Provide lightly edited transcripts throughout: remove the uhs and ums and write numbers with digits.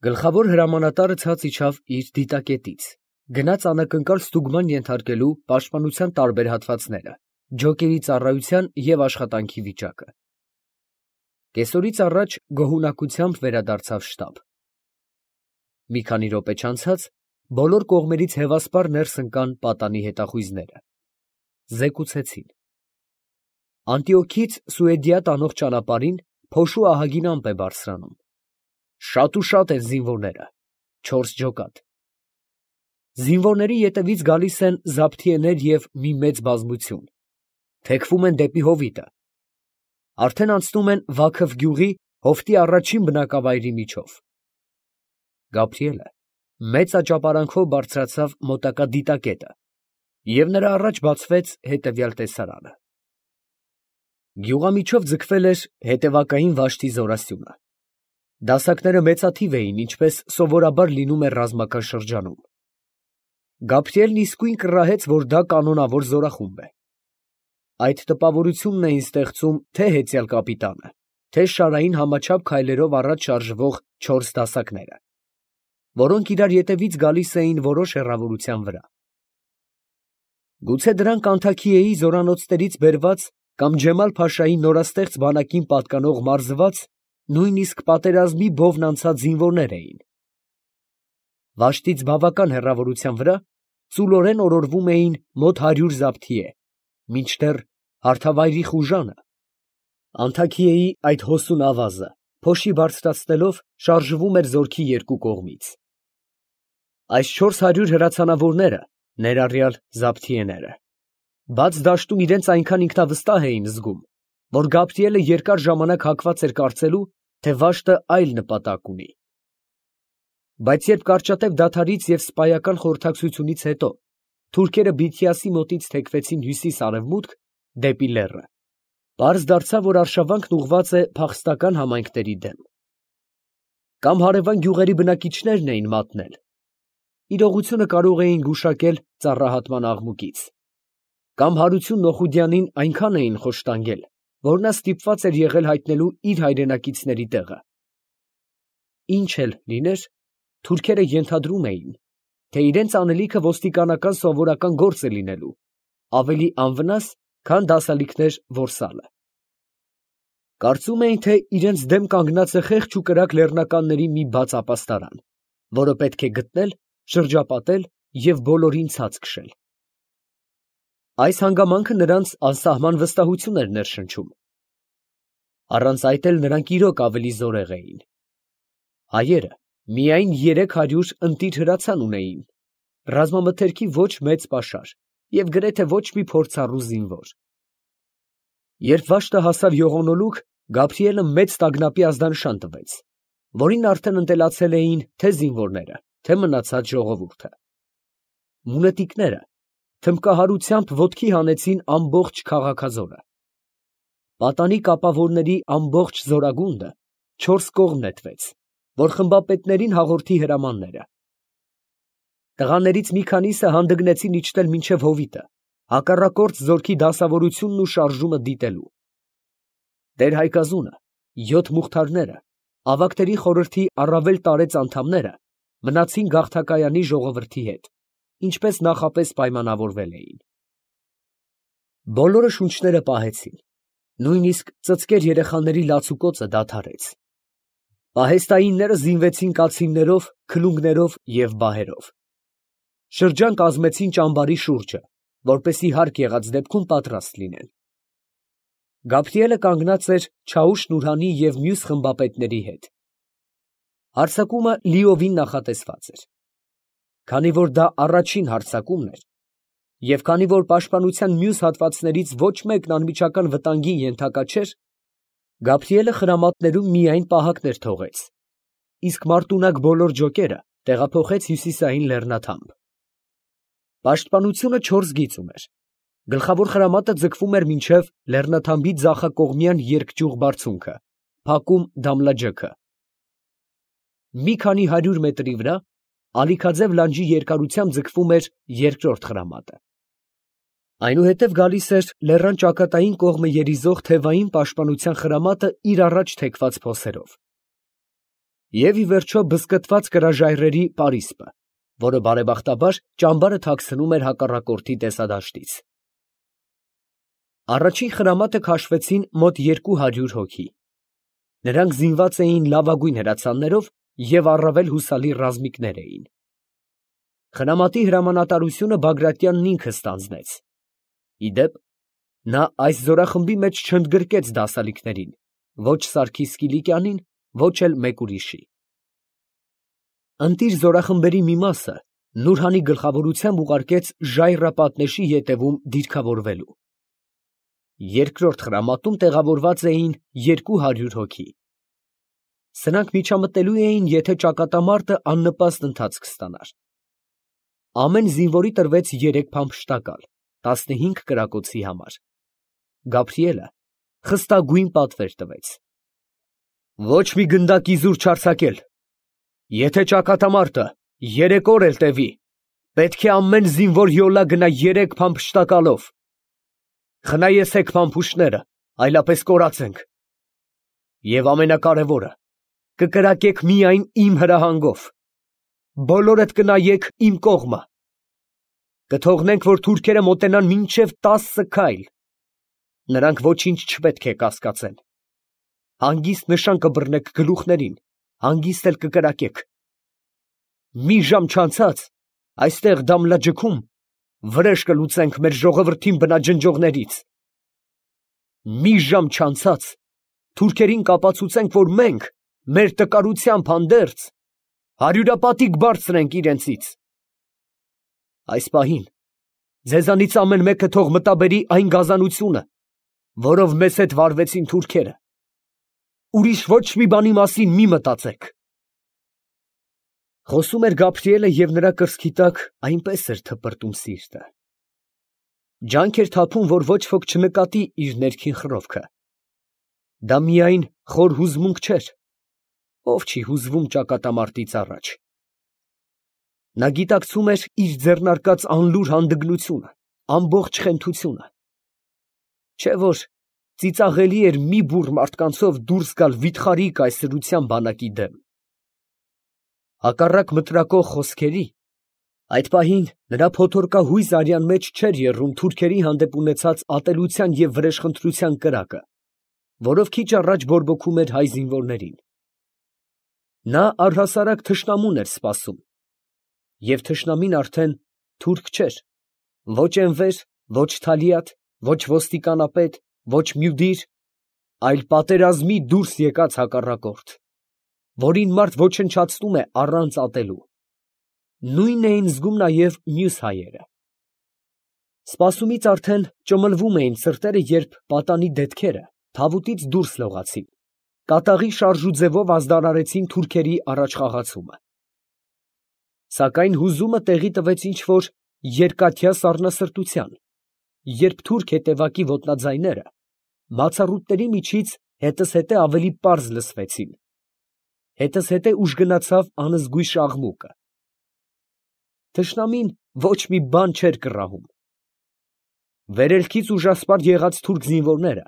Գլխավոր հրամանատարը ցած իջավ իր դիտակետից, գնաց անակնկալ ստուգման ենթարկելու պաշտպանության տարբեր հատվածները, ջոկերի ծառայության և աշխատանքի վիճակը։ Կեսօրից առաջ գոհունակությամբ վերադարձավ շտաբ։ Մի քանի րոպե չանցած բոլոր կողմերից հևասպար ներս ընկան պատանի հետախույզները։ Զեկուցեցին. Անտիոքից Սուեդիա տանող ճանապարհին փոշու ահագին ամպ է բարձրանում։ Շատ ու շատ են զինվորները, 4 ջոկատ։ Զինվորների ետևից գալիս են զաբթիեներ և մի մեծ բազմություն, թեքվում են դեպի հովիտը։ Արդեն անցնում են Վաքև գյուղի հովտի առաջին բնակավայրի միջով։ Գաբրիելը մեծ աճապարանքով բարձրացավ մոտակա դիտակետը, և նրա առաջ բացվեց հետևյալ տեսարանը։ Գյուղամիջով ձգվել էր հետևակային վաշտի զորասյունը։ Դասակները մեծաթիվ էին, ինչպես սովորաբար լինում է ռազմական շրջանում։ Գաբրիելն իսկույն կռահեց, որ դա կանոնավոր զորախումբ է։ Այդ տպավորությունն էին ստեղծում թե հեծյալ կապիտանը, թե շարային համաչափ քայլերով առաջ շարժվող 4 դասակները, որոնք իրար ետևից գալիս էին որոշ հեռավորության վրա։ Գուցե դրանք Անթաքիեի զորանոցներից բերված կամ Ջեմալ֊փաշայի նորաստեղծ բանակին պատկանող մարզված, նույնիսկ պատերազմի բովն անցած զինվորներ էին։ Վաշտից բավական հեռավորության վրա ծուլորեն օրորվում էին մոտ 100 զաբթիե, մինչդեռ հարթավայրի խուժանը, Անթաքիեի այդ հոսուն ավազը, փոշի բարձրացնելով, շարժվում էր զորքի երկու կողմից։ Այս 400 հրացանավորները, ներառյալ զաբթիեները, բաց դաշտում իրենց այնքան ինքնավստահ էին զգում, որ Գաբրիելը երկար ժամանակ հակված էր կարծելու, թե վաշտը այլ նպատակ ունի։ Բայց երբ կարճատև դադարից և սպայական խորհրդակցությունից հետո թուրքերը Բիթիասի մոտից թեքվեցին հյուսիս֊արևմուտք, դեպի լեռը, պարզ դարձավ, որ արշավանքն ուղղված է փախստական համայնքների դեմ։ Կամ հարևան գյուղերի բնակիչներն էին մատնել, իրողությունը կարող էին գուշակել ծառահատման աղմուկից, կամ Հարություն Նոխուդյանին այնքան էին խոշտանգել, որ նա ստիպված էր եղել հայտնելու իր հայրենակիցների տեղը։ Ինչ էլ լիներ, թուրքերը ենթադրում էին, թե իրենց անելիքը ոստիկանական սովորական գործ է լինելու, ավելի անվնաս, քան դասալիքներ որսալը։ Կարծում էին, թե իրենց դեմ կանգնած է խեղճ ու կրակ լեռնականների մի բաց ապաստարան, որը պետք է գտնել, շրջապատել և բոլորին ցած քշել։ Այս հանգամանքը նրանց անսահման վստահություն էր ներշնչում։ Առանց այդ էլ նրանք իրոք ավելի զորեղ էին։ Հայերը միայն 300 ընտիր հրացան ունեին, ռազմամթերքի ոչ մեծ պաշար և գրեթե ոչ մի փորձառու զինվոր։ Երբ վաշտը հասավ յողոնոլուք, Գաբրիելը մեծ տագնապի ազդանշան տվեց, որին արդեն ընտելացել էին թե զինվորները, թե մնացած ժողովուրդը։ Մունետիկները թմբկահարությամբ ոտքի հանեցին ամբողջ քաղաքազորը։ Պատանի կապավորների ամբողջ զորագունդը 4 կողմ նետվեց, որ խմբապետներին հաղորդի հրամանները։ Տղաներից մի քանիսը հանդգնեցին իջնել մինչև հովիտը, հակառակորդ զորքի դասավորությունն ու շարժումը դիտելու։ Տեր-Հայկազունը, 7 մուղթարները, ավագների խորհրդի առավել տարեց անդամները մնացին գաղթակայանի ժողովրդի հետ, ինչպես նախապես պայմանավորվել էին։ Բոլորը շունչները պահեցին, նույնիսկ ծծկեր երեխաների լացուկոցը դադարեց։ Պահեստայինները զինվեցին կացիններով, քլունգներով և բահերով։ Շրջան կազմեցին ճամբարի շուրջը, որպեսզի հարկ եղած դեպքում պատրաստ լինեն։ Գաբրիելը կանգնած էր Չաուշ Նուրհանի և մյուս խմբապետների հետ։ Հարձակումը լիովին նախատեսված էր։ Քանի որ դա առաջին հարձակումն էր, և քանի որ պաշտպանության մյուս հատվածներից ոչ մեկն անմիջական վտանգի ենթակա չէր, Գաբրիելը խրամատներում միայն պահակներ թողեց, իսկ մարտունակ բոլոր ջոկերը տեղափոխեց հյուսիսային լեռնաթամբ։ Պաշտպանությունը 4 գիծ ուներ։ Գլխավոր խրամատը ձգվում էր մինչև լեռնաթամբի ձախակողմյան երկճյուղ բարձունքը, փակում Դամլաջեքը։ Մի քանի 100 մետրի վրա ալիքաձև լանջի երկարությամբ ձգվում էր երկրորդ խրամատը։ Այնուհետև գալիս էր լեռան ճակատային կողմը երիզող թևային պաշտպանության խրամատը իր առաջ թեքված փոսերով։ Եվ ի վերջո բզկտված կրաժայռերի պարիսպը, որը բարեբախտաբար ճամբարը թաքցնում էր հակառակորդի տեսադաշտից։ Առաջին խրամատը քաշվեցին մոտ 200 հոգի։ Նրանք զինված էին լավագույն հրացաններով և առավել հուսալի ռազմիկներ էին։ Խրամատի հրամանատարությունը Բագրատյանն ինքը ստանձնեց։ Ի դեպ, նա այս զորախմբի մեջ չընդգրկեց դասալիքներին, ոչ Սարգիս Կիլիկյանին, ոչ էլ մեկ ուրիշի։ Ընտիր զորախմբերի մի մասը Նուրհանի գլխավորությամբ ուղարկեց Ժայռապատնեշի ետևում դիրքավորվելու։ Երկրորդ խրամատում տեղավորված էին 200 հոգի։ Սրանք միջամտելու էին, եթե ճակատամարտը աննպաստ ընթացք ստանար։ Ամեն զինվորի տրվեց 3 փամփշտակալ, 15 կրակոցի համար։ Գաբրիելը խստագույն պատվեր տվեց. Ոչ մի գնդակ իզուր չարձակել։ Եթե ճակատամարտը 3 օր էլ տևի, պետք է ամեն զինվոր յոլա գնա 3 փամփշտակալով։ Խնայեցեք փամփուշտները, այլապես կորացենք։ Եվ ամենակարևորը, կկրակեք միայն իմ հրահանգով։ Բոլորդ կնայեք իմ կողմը։ Կթողնենք, որ թուրքերը մոտենան մինչև 10 քայլ։ Նրանք ոչինչ չպետք է կասկածեն։ Հանգիստ նշան կբռնեք գլուխներին, հանգիստ էլ կկրակեք։ Մի ժամ չանցած, այստեղ Դամլաջքում վրեժ կլուծենք մեր ժողովրդին բնաջնջողներից։ Մի ժամ չանցած, թուրքերին կապացուցենք, որ մենք մեր տկարությամբ հանդերձ հարյուրապատիկ բարձր ենք իրենցից։ Այս պահին ձեզանից ամեն մեկը թող մտաբերի այն գազանությունը, որով մեզ հետ վարվեցին թուրքերը։ Ուրիշ ոչ մի բանի մասին մի մտածեք։ Խոսում էր Գաբրիելը և նրա կրծքի տակ այնպես էր թպրտում սիրտը։ Ջանք էր թափում, որ ոչ ոք չնկատի իր ներքին խռովքը։ Դա միայն խոր հուզմունք չէր, ով չի հուզվում ճակատամարտից առաջ։ Նա գիտակցում էր իր ձեռնարկած անլուր հանդգնությունը, ամբողջ խենթությունը։ Չէ՞ որ ծիծաղելի էր մի բուռ մարդկանցով դուրս գալ վիթխարի կայսրության բանակի դեմ։ Հակառակ մտրակող խոսքերի, այդ պահին նրա փոթորկահույզ արյան մեջ չէր եռում թուրքերի հանդեպ ունեցած ատելության և վրեժխնդրության կրակը, որով քիչ առաջ բորբոքում էր հայ զինվորներին։ Նա առհասարակ թշնամուն էր սպասում, և թշնամին արդեն թուրք չէր, ոչ Էնվեր, ոչ Թալիաթ, ոչ ոստիկանապետ, ոչ Մյուդիր, այլ պատերազմի դուրս եկած հակառակորդ, որին մարդ ոչնչացնում է առանց ատելու։ Նույնն էին զգում նաև մյուս հայերը։ Սպասումից արդեն ճմլվում էին սրտերը, երբ պատանի դետքերը թավուտից դուրս լողացին, կատաղի շարժուձևով ազդարարեցին թուրքերի առաջխաղացումը։ Սակայն հուզումը տեղի տվեց ինչ-որ երկաթյա սառնասրտության, երբ թուրք հետևակի ոտնաձայները մացառուտների միջից հետզհետե ավելի պարզ լսվեցին, հետզհետե ուժ գնացավ անզգույշ աղմուկը։ Թշնամին ոչ մի բան չէր կռահում։ Վերելքից ուժասպառ եղած թուրք զինվորները,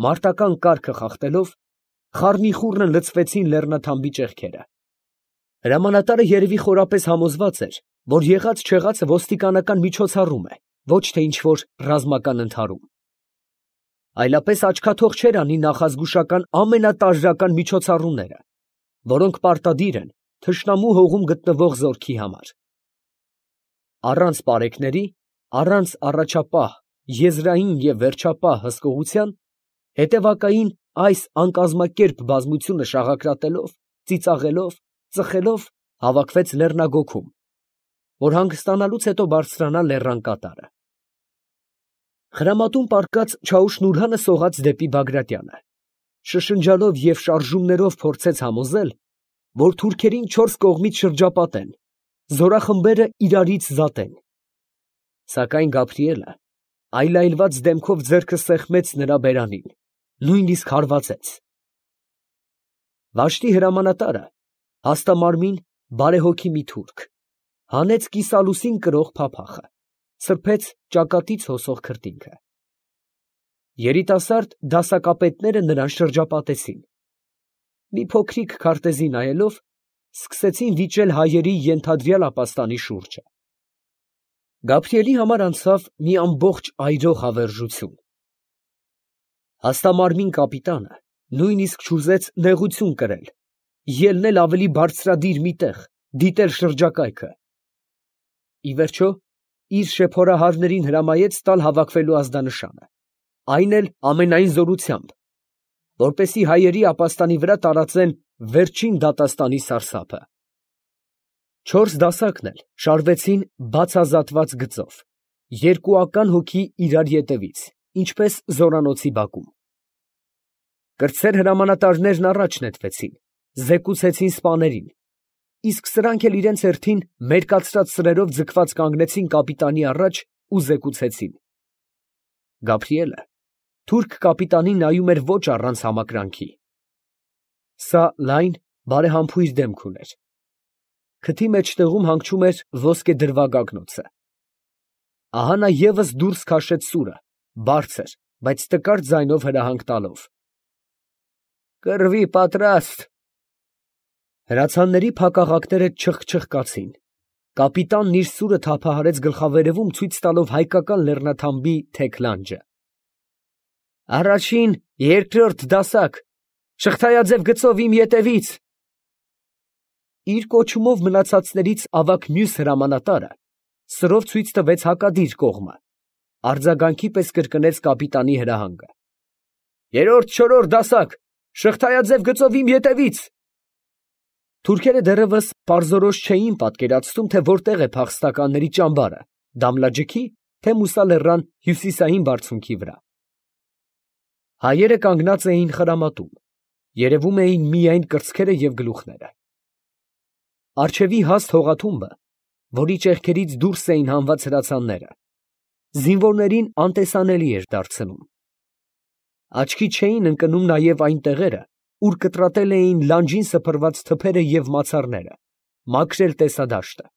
մարտական կարգը խախտելով, խառնիխուռն լցվեցին լեռնաթամբի ճեղքերը։ Հրամանատարը երևի խորապես համոզված էր, որ եղած֊չեղածը ոստիկանական միջոցառում է, ոչ թե ինչ-որ ռազմական ընդհարում։ Այլապես աչքաթող չէր անի նախազգուշական ամենատարրական միջոցառումները, որոնք պարտադիր են թշնամու հողում գտնվող զորքի համար։ Առանց պարեկների, առանց առաջապահ, եզրային և վերջապահ հսկողության, հետևակային այս անկազմակերպ բազմությունը շաղակրատելով, ծիծաղելով, ծխելով հավաքվեց լեռնագոգում, որ հանգստանալուց հետո բարձրանա լեռան կատարը։ Խրամատում պառկած Չաուշ֊Նուրհանը սողաց դեպի Բագրատյանը, շշնջալով և շարժումներով փորձեց համոզել, որ թուրքերին 4 կողմից շրջապատեն, զորախմբերը իրարից զատեն։ Սակայն Գաբրիելը այլայլված դեմքով ձեռքը սեղմեց նրա բերանին, նույնիսկ հարվածեց։ Վաշտի հրամանատարը, հաստամարմին, բարեհոգի մի թուրք, հանեց կիսալուսին կրող փափախը, սրբեց ճակատից հոսող քրտինքը։ Երիտասարդ դասակապետները նրան շրջապատեցին։ Մի փոքրիկ քարտեզի նայելով, սկսեցին վիճել հայերի ենթադրյալ ապաստանի շուրջը։ Գաբրիելի համար անցավ մի ամբողջ այրող հավերժություն։ Հաստամարմին կապիտանը նույնիսկ չուզեց նեղություն կրել, ելնել ավելի բարձրադիր մի տեղ, դիտել շրջակայքը։ Ի վերջո, իր շեփորահարներին հրամայեց տալ հավաքվելու ազդանշանը, այն էլ ամենայն զորությամբ, որպեսզի հայերի ապաստանի վրա տարածեն վերջին դատաստանի սարսափը։ 4 դասակն էլ շարվեցին բացազատված գծով, երկուական հոգի իրար ետևից, ինչպես զորանոցի բակում։ Կրտսեր հրամանատարներն առաջ նետվեցին, զեկուցեցին սպաներին, իսկ սրանք էլ իրենց հերթին մերկացրած սրերով ձգված կանգնեցին կապիտանի առաջ ու զեկուցեցին։ Գաբրիելը թուրք կապիտանին նայում էր ոչ առանց համակրանքի։ Սա լայն, բարեհամբույր դեմք ուներ։ Քթի մեջտեղում հանգչում էր ոսկե դրվագագնոցը։ Ահա նա ևս դուրս քաշեց սուրը, բարձր, բայց տկար ձայնով հրահանգ տալով. «Կռվի պատրաստ»։ Հրացանների փակաղակները չխչխկացին։ Կապիտանն իր սուրը թափահարեց գլխավերևում, ցույց տալով հայկական լեռնաթամբի թեք լանջը։ «Առաջին, երկրորդ դասակ, շղթայաձև գծով իմ ետևից»։ Իր կոչումով մնացածներից ավագ մյուս հրամանատարը սրով ցույց տվեց հակադիր կողմը, արձագանքի պես կրկնեց կապիտանի հրահանգը։ «Երրորդ, չորրորդ դասակ, շղթայաձև գծով իմ ետևից»։ Թուրքերը դեռևս պարզորոշ չէին պատկերացնում, թե որտեղ է փախստականների ճամբարը, Դամլաջիքի, թե Մուսա լեռան հյուսիսային բարձունքի վրա։ Հայերը կանգնած էին խրամատում, երևում էին միայն կրծքերը և գլուխները։ Առջևի հաստ հողաթումբը, որի ճեղքերից դուրս էին հանված հրացանները, զինվորներին անտեսանելի էր դարձնում։ Աչքի չէին ընկնում նաև այն տեղերը, ուր կտրատել էին լանջին սփռված թփերը և մացառները, մաքրել տեսադաշտը։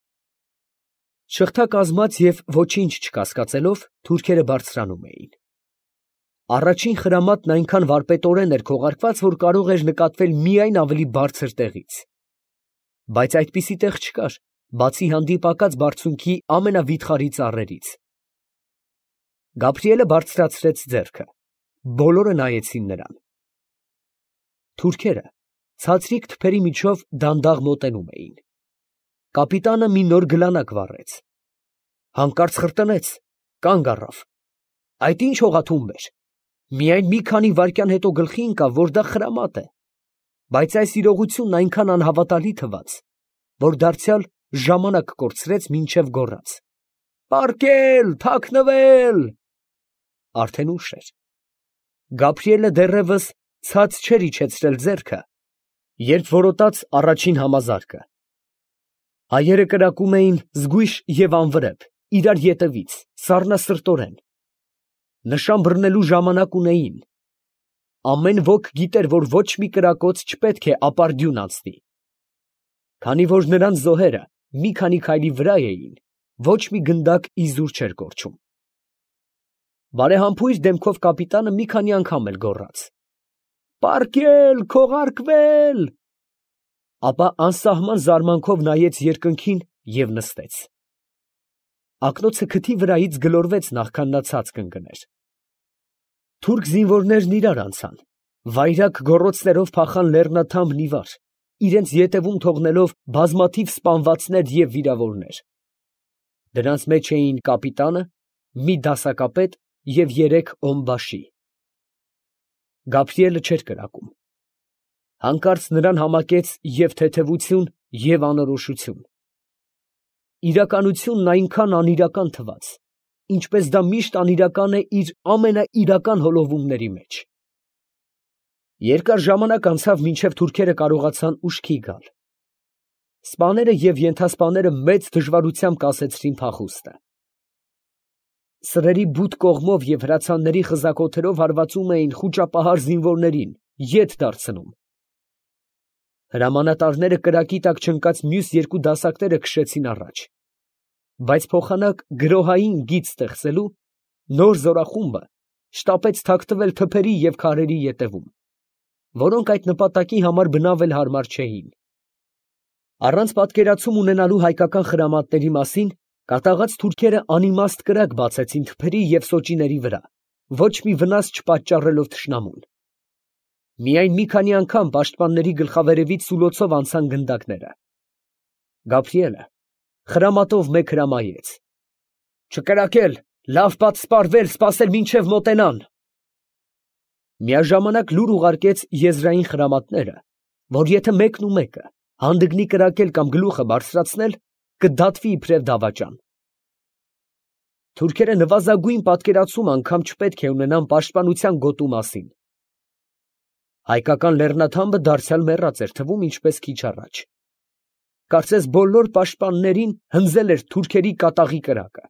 Շղթա կազմած և ոչինչ չկասկածելով, թուրքերը բարձրանում էին։ Առաջին խրամատն այնքան վարպետորեն էր քողարկված, որ կարող էր նկատվել միայն ավելի բարձր տեղից։ Բայց այդպիսի տեղ չկար, բացի հանդիպակաց բարձունքի ամենավիթխարի ծառերից։ Գաբրիելը բարձրացրեց ձեռքը, բոլորը նայեցին նրան։ Թուրքերը ցածրիկ թփերի միջով դանդաղ մոտենում էին։ Կապիտանը մի նոր գլանակ վառեց։ Հանկարծ խրտնեց, կանգ առավ։ Այդ ի՞նչ հողաթումբ էր։ Միայն մի քանի վայրկյան հետո գլխի ընկավ, որ դա խրամատ է, բայց այս իրողությունն այնքան անհավատալի թվաց, որ դարձյալ ժամանակ կորցրեց, մինչև գոռաց. «Պառկել, թաքնվել»։ Արդեն ուշ էր։ Գաբրիելը դեռևս ցած չէր իջեցրել ձեռքը, երբ որոտաց առաջին համազարկը։ Հայերը կրակում էին զգույշ և անվրեպ, իրար ետևից, սառնասրտորեն։ Նշան բռնելու ժամանակ ունեին։ Ամեն ոք գիտեր, որ ոչ մի կրակոց չպետք է ապարդյուն անցնի։ Քանի որ նրանց զոհերը մի քանի քայլի վրա էին, ոչ մի գնդակ իզուր չէր կորչում։ Բարեհամբույր դեմքով կապիտանը մի քանի անգամ էլ գոռաց. «Պառկել, քողարկվել»։ Ապա անսահման զարմանքով նայեց երկնքին և նստեց։ Ակնոցը քթի վրայից գլորվեց, նախքան նա ցած կընկներ։ Թուրք զինվորներն իրար անցան, վայրագ գոռոցներով փախան լեռնաթամբն ի վար, իրենց ետևում թողնելով բազմաթիվ սպանվածներ և վիրավորներ։ Դրանց մեջ էին կապիտանը, մի դասակապետ և 3 օմբաշի։ Գաբրիելը չէր կրակում։ Հանկարծ նրան համակեց և թեթևություն, և անորոշություն։ Իրականությունն այնքան անիրական թվաց, ինչպես դա միշտ անիրական է իր ամենաիրական հոլովումների մեջ։ Երկար ժամանակ անցավ, մինչև թուրքերը կարողացան ուշքի գալ։ Սպաները և ենթասպաները մեծ դժվարությամբ կասեցրին փախուստը։ Սրերի բութ կողմով և հրացանների խզակոթերով հարվածում էին խուճապահար զինվորներին, ետ դարձնում։ Հրամանատարները կրակի տակ չընկած մյուս 2 դասակները քշեցին առաջ։ Բայց փոխանակ գրոհային գիծ ստեղծելու, նոր զորախումբը շտապեց թաքնվել թփերի և քարերի ետևում, որոնք այդ նպատակի համար բնավ էլ հարմար չէին։ Առանց պատկերացում ունենալու հայկական խրամատների մասին կատաղած թուրքերը անիմաստ կրակ բացեցին թփերի և սոճիների վրա, ոչ մի վնաս չպատճառելով թշնամուն։ Միայն մի քանի անգամ պաշտպանների գլխավերևից սուլոցով անցան գնդակները։ Գաբրիելը խրամատով մեկ հրամայեց. «Չկրակել, լավ պատսպարվել, սպասել մինչև մոտենան»։ Միաժամանակ լուր ուղարկեց եզրային խրամատները, որ եթե մեկն ու մեկը հանդգնի կրակել կամ գլուխը բարձրացնել, կդատվի իբրև դավաճան։ Թուրքերը նվազագույն պատկերացում անգամ չպետք է ունենան պաշտպանության գոտու մասին։ Հայկական լեռնաթամբը դարձյալ մեռած էր թվում ինչպես քիչ առաջ։ Կարծես բոլոր պաշտպաններին հնձել էր թուրքերի կատաղի կրակը։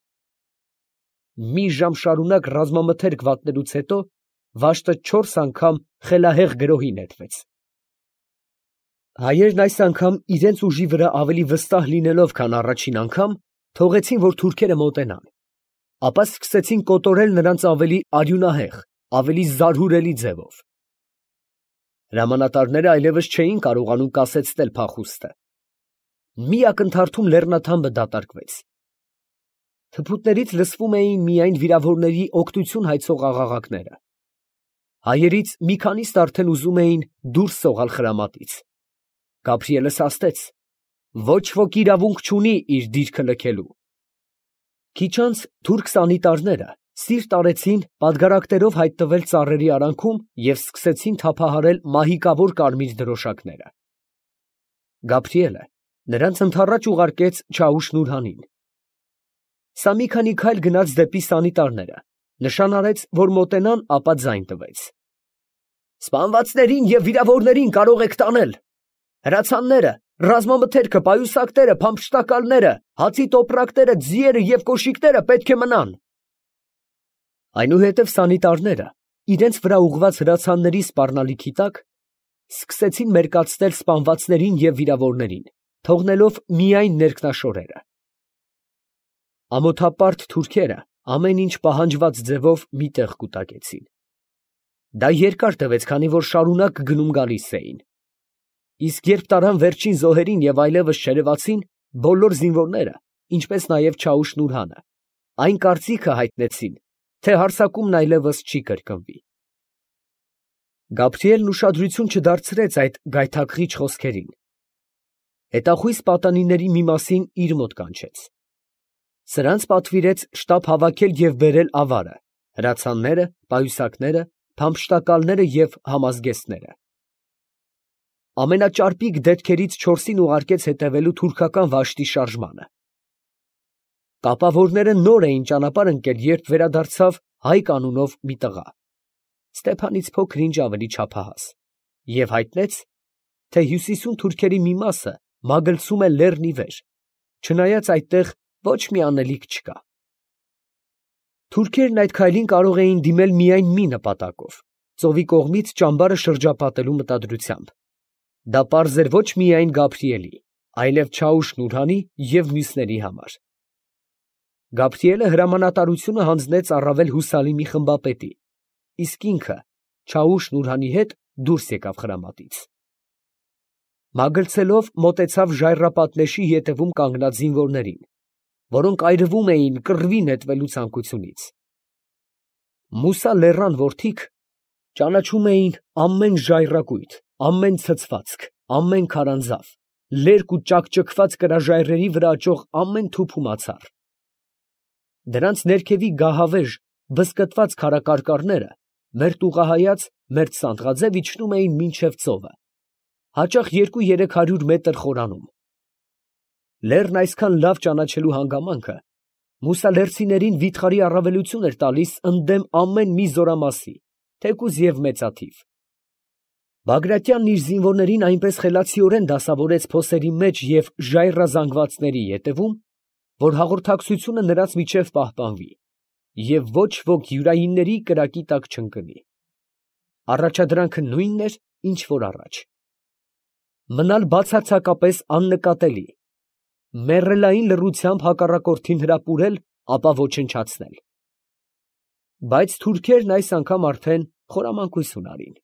Մի ժամ շարունակ ռազմամթերք վատնելուց հետո վաշտը 4 անգամ խելահեղ գրոհի նետվեց։ Հայերն այս անգամ իրենց ուժի վրա ավելի վստահ լինելով, քան առաջին անգամ, թողեցին, որ թուրքերը մոտենան, ապա սկսեցին կոտորել նրանց ավելի արյունահեղ, ավելի զարհուրելի ձևով։ Հրամանատարները այլևս չէին կարողանում կասեցնել փախուստը։ Մի ակնթարթում լեռնաթամբը դատարկվեց։ Թփուտներից լսվում էին միայն վիրավորների օգնություն հայցող աղաղակները։ Հայերից մի քանիսն արդեն ուզում էին դուրս սողալ խրամատից։ Գաբրիելը սաստեց. ոչ ոք իրավունք չունի իր դիրքը լքելու։ Քիչ անց թուրք սանիտարները սիրտ արեցին պատգարակներով հայտնվել ծառերի արանքում և սկսեցին թափահարել մահիկավոր կարմիր դրոշակները։ Գաբրիելը նրանց ընդառաջ ուղարկեց Չաուշ Նուրհանին։ Սա մի քանի քայլ գնաց դեպի սանիտարները, նշան արեց, որ մոտենան, ապա ձայն տվեց. «Սպանվածներին և վիրավորներին կարող եք տանել։ Հրացանները, ռազմամթերքը, պայուսակները, փամփշտակալները, հացի տոպրակները, ձիերը և կոշիկները պետք է մնան»։ Այնուհետև սանիտարները իրենց վրա ուղղված հրացանների սպառնալիքի տակ սկսեցին մերկացնել սպանվածներին և վիրավորներին, թողնելով միայն ներքնաշորերը։ Ամոթապարտ թուրքերը ամեն ինչ պահանջված ձևով մի տեղ կուտակեցին։ Դա երկար տևեց, քանի որ շարունակ գնում գալիս էին։ Իսկ երբ տարան վերջին զոհերին և այլևս չերևացին, բոլոր զինվորները, ինչպես նաև Չաուշ Նուրհանը, այն կարծիքը հայտնեցին, թե հարձակումն այլևս չի կրկնվի։ Գաբրիելն ուշադրություն չդարձրեց այդ գայթակղիչ խոսքերին։ Հետախույզ պատանիների մի մասին իր մոտ կանչեց։ Սրանց պատվիրեց շտապ հավաքել և բերել ավարը, հրացանները, պայուսակները, փամփշտակալները և համազգեստները։ Ամենաճարպիկ դետքերից 4-ին ուղարկեց հետևելու թուրքական վաշտի շարժմանը։ Կապավորները նոր էին ճանապարհ ընկել, երբ վերադարձավ հայ կանունով մի տղա, Ստեփանից փոքր-ինչ ավելի չափահաս, և հայտնեց, թե հյուսիսում թուրքերի մի մասը մագլցում է լեռն ի վեր, չնայած այդտեղ ոչ մի անելիք չկա։ Թուրքերն այդ քայլին կարող էին դիմել միայն մի նպատակով՝ ծովի կողմից ճամբարը շրջապատելու մտադրությամբ։ Դա պարզ էր ոչ միայն Գաբրիելի, այլև Չաուշ Նուրհանի և մյուսների համար։ Գաբրիելը հրամանատարությունը հանձնեց առավել հուսալի մի խմբապետի, իսկ ինքը Չաուշ Նուրհանի հետ դուրս եկավ խրամատից։ Մագլցելով մոտեցավ ժայռապատ նեշի ետևում կանգնած զինվորներին, որոնք այրվում էին կռվի նետվելու ցանկությունից։ Մուսա լեռան որդիկ ճանաչում էին ամեն ժայռակույտ, ամեն ցցվածք, ամեն քարանձավ, լերկ ու ճաքճքված կրաժայռերի վրա աճող ամեն թուփ ու մացառ։ Դրանց ներքևի գահավեժ, բզկտված քարակարկառները մերտուղահայաց, մերտ սանդղաձև իջնում էին մինչև ծովը, հաճախ 200-300 մետր խորանում։ Լեռն այսքան լավ ճանաչելու հանգամանքը մուսալերցիներին վիթխարի առավելություն էր տալիս ընդդեմ ամեն մի զորամասի, թեկուզ և մեծաթիվ։ Բագրատյանն իր զինվորներին այնպես խելացիորեն դասավորեց փոսերի մեջ և ժայռազանգվածների ետևում, որ հաղորդակցությունը նրանց միջև պահպանվի և ոչ ոք յուրայինների կրակի տակ չընկնի։ Առաջադրանքը նույնն էր, ինչ որ առաջ. մնալ բացարձակապես աննկատելի, մեռելային լռությամբ հակառակորդին հրապուրել, ապա ոչնչացնել։ Բայց թուրքերն այս անգամ արդեն խորամանկություն արին։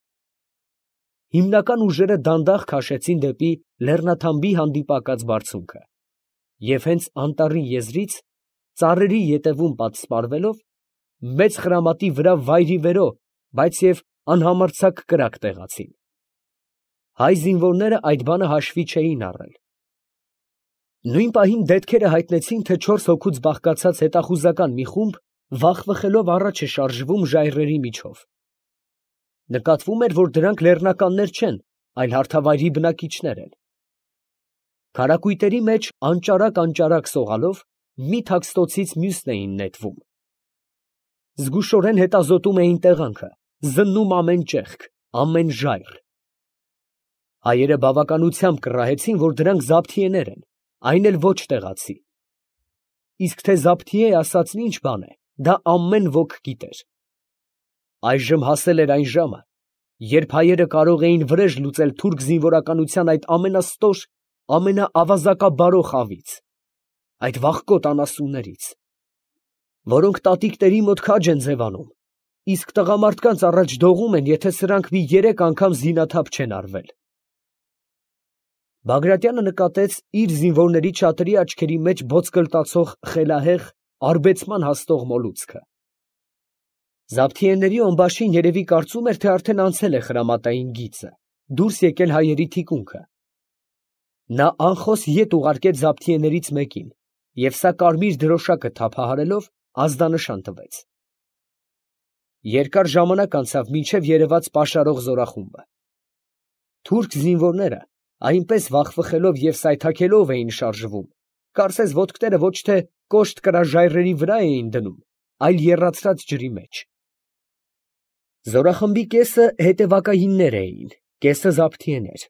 հիմնական ուժերը դանդաղ քաշեցին դեպի լեռնաթամբի հանդիպակաց բարձունքը, և հենց անտառի եզրից, ծառերի ետևում պատսպարվելով, մեծ խրամատի վրա վայրիվերո, բայց և անհամարձակ կրակ տեղացին։ Հայ զինվորները այդ բանը հաշվի չէին առել։ Նույն պահին դետքերը հայտնեցին, թե 4 հոգուց բաղկացած հետախուզական մի խումբ վախվխելով առաջ է շարժվում ժայռերի միջով։ Նկատվում էր, որ դրանք լեռնականներ չեն, այլ հարթավայրի բնակիչներ են։ Քարակույտերի մեջ անճարակ սողալով մի թաքստոցից մյուսն էին նետվում։ Զգուշորեն հետազոտում էին տեղանքը, զննում ամեն ճեղք, ամեն ժայռ։ Հայերը բավականությամբ կռահեցին, որ դրանք զաբթիեներ են, այն էլ ոչ տեղացի։ Իսկ թե զաբթիե ասածն ինչ բան է, դա ամեն ոք գիտեր։ Այժմ հասել էր այն ժամը, երբ հայերը կարող էին վրեժ լուծել թուրք զինվորականության այդ ամենաստոր, ամենաավազակաբարո խավից, այդ վախկոտ անասուններից, որոնք տատիկների մոտ քաջ են ձևանում, իսկ տղամարդկանց առաջ դողում են, եթե սրանք մի 3 անգամ զինաթափ չեն արվել։ Բագրատյանը նկատեց իր զինվորների չաթրի աչքերի մեջ ոսկլտացող խելահեղ, արբեցման հասնող մոլուցքը։ Զաբթիեների օնբաշին երևի կարծում էր, թե արդեն անցել է խրամատային գիծը, դուրս եկել հայերի թիկունքը։ Նա անխոս ետ ուղարկեց զաբթիեներից մեկին, և սա կարմիր դրոշակը թափահարելով ազդանշան տվեց։ Երկար ժամանակ անցավ, մինչև երևաց պաշարող զորախումբը։ Թուրք զինվորները այնպես վախվխելով և սայթաքելով էին շարժվում, կարծես ոտքները ոչ թե կոշտ կրաժայռերի վրա էին դնում, այլ եռացրած ջրի մեջ։ Զորախմբի կեսը հետևակայիններ էին, կեսը զաբթիեներ։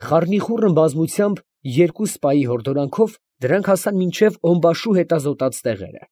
Խառնիխուռն բազմությամբ 2 սպայի հորդորանքով դրանք հասան մինչև օնբաշու հետազոտած տեղերը։